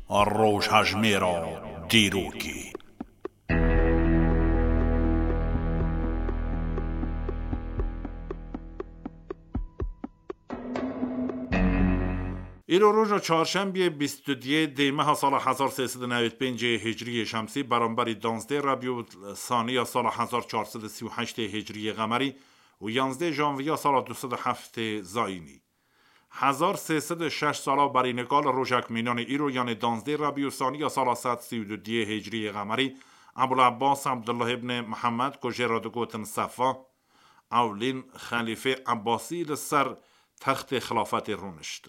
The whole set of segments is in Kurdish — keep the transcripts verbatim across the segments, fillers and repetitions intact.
Rojhejmêra dîrokê. Îro roja çarşembiyê bîst û duyê dê meha sala hezar sê sed û newêd pêncê hicriyê şemsî, beramberî danzdê Rebî û saniya sala hezar çar sed û sî û heştê hicriyê qemerî û yanzdê janviya sala du sed û heftê zayînî. Hezar sê sed û şeş sala berî nika li rojek mînanê îro, yanê danzdê Rebî û saniya sala sed sî û duyê hicriyê qemerî, Ebul Abbas Abdullah ibn Muhammed, ku jê re digotin Sefa, ewlîn xelîfê Ebbasî, li ser textê xilafetê rûnişt.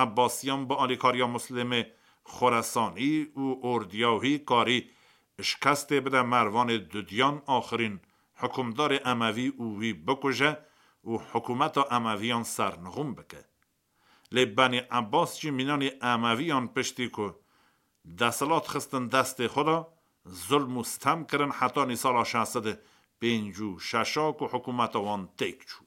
Ebbasiyan bi alîkariya Muslimê Xoresanî û ordiya wî karî şikestê bide Mervanê Dudiyan, axirîn hikûmdarê Emevî, û wî bikuje û hikûmeta Emeviyan sernixûm bike. Lê Benî Ebbas jî mînanî Emeviyan piştî ku desthilat xistin destê xwe de, zulm û sitem kirin, hetanî sala şeş sed û pêncî û şeş ku hikûmeta wan têk çû.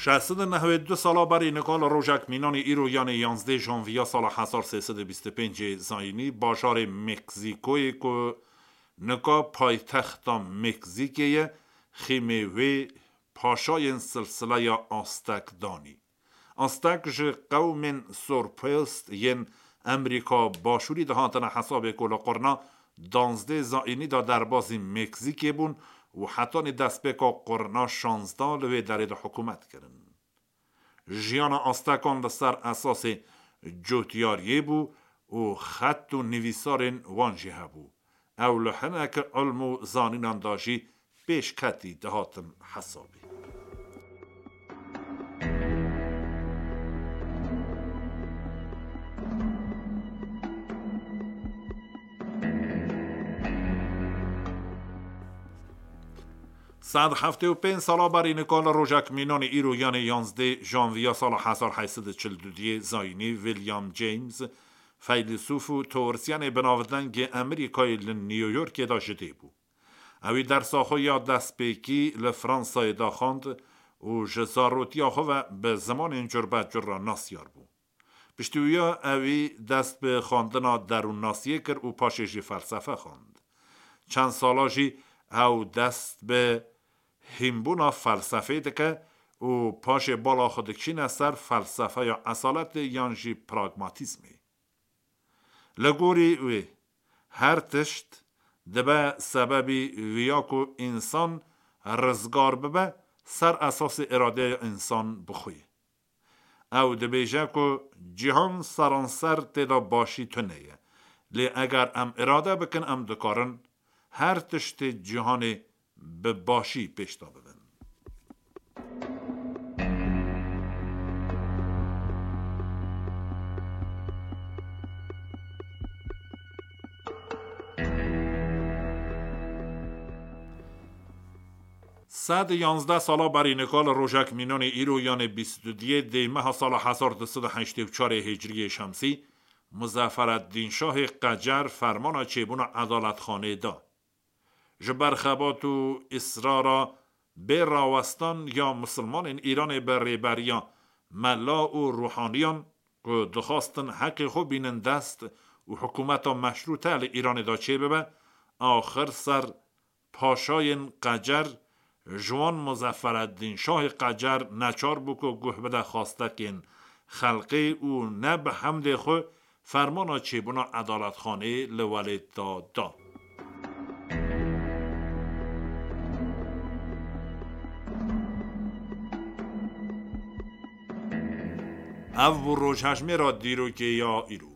Şeş sed û nehwê du sala berî nika li rojek mînanê îro, yanê yanzdê janviya sala hezar sê sed û bîst û pêncê zayînî, bajarê Meksîkoyê ku nika paytexta Meksîkê ye, xîmê wê paşayên silsileya Aztek danî. Aztek ji qewmên sorpost yên Emerîka Başûrî dihatine hesabê ku li qurna danzdê zayînî de derbazî Meksîkê bûn û hetanî destpêka qurna şazdeh li wê derê de hikûmet kirin. Jiyana Aztekan li ser esasê cotyariyê bû û xet û nivîsarên wan jî hebû. Ew li hinek ilm û zanînan de jî pêşketî dihatin hesabê. Sed heftê û pênc sala berî nika li rojek mînanê îro, yanê yanzdê janviya sala hezar heyt sed û çil û duyê zayînî, William James, feylesûf û teorisyenê binavdengê Emerîkayê, li New Yorkê de ji dê bû. Ewî dersa xwe ya destpêkî li Fransayê de xwend û ji zarotiya xwe ve bi zimanên curbecur re nasyar bû. Piştî wî ya ewî dest bi xwendina derûnnasiyê kir û paşê jî felsefe xwend. Çend sala jî ew dest bi hînbûna felsefê dike û paşê bala xwe dikişîne ser felsefeya esaletê yan jî pragmatîzmê. Li gorî wê, her tişt dibe sebebî viya ku însan rizgar bibe ser esasê îradeya însan bi xwe ye. Ew dibêje ku cîhan seranser tê de başî tune ye. Lê eger em îrade bikin, em dikarin her tiştê cîhanê bi başî pêş de bibin. Sed û yanzdeh sala berî nika li rojek mînanê îro, yanê bîst û duyê dê meha sala hezar du sed û heştê û çarê hicriyê şemsî, Muzafereddîn Şahê Qecer fermana çêbûna edaletxanê da. Ji ber xebat û israra bê rawestan ya misilmanên Îranê bi rêberiya mela û ruhaniyan ku dixwastin heqê xwe bînin dest û hikûmeta meşrûte li Îranê de çêbibe, axir ser paşayên Qecer, ji wan Muzafereddîn Şahê Qecer neçar bû ku guh bide xwastekên xelkê û ne bi hemdê xwe fermana çêbûna edaletxanê li welêt de da. Ev bû rojhejmêra dîrokê ya îro.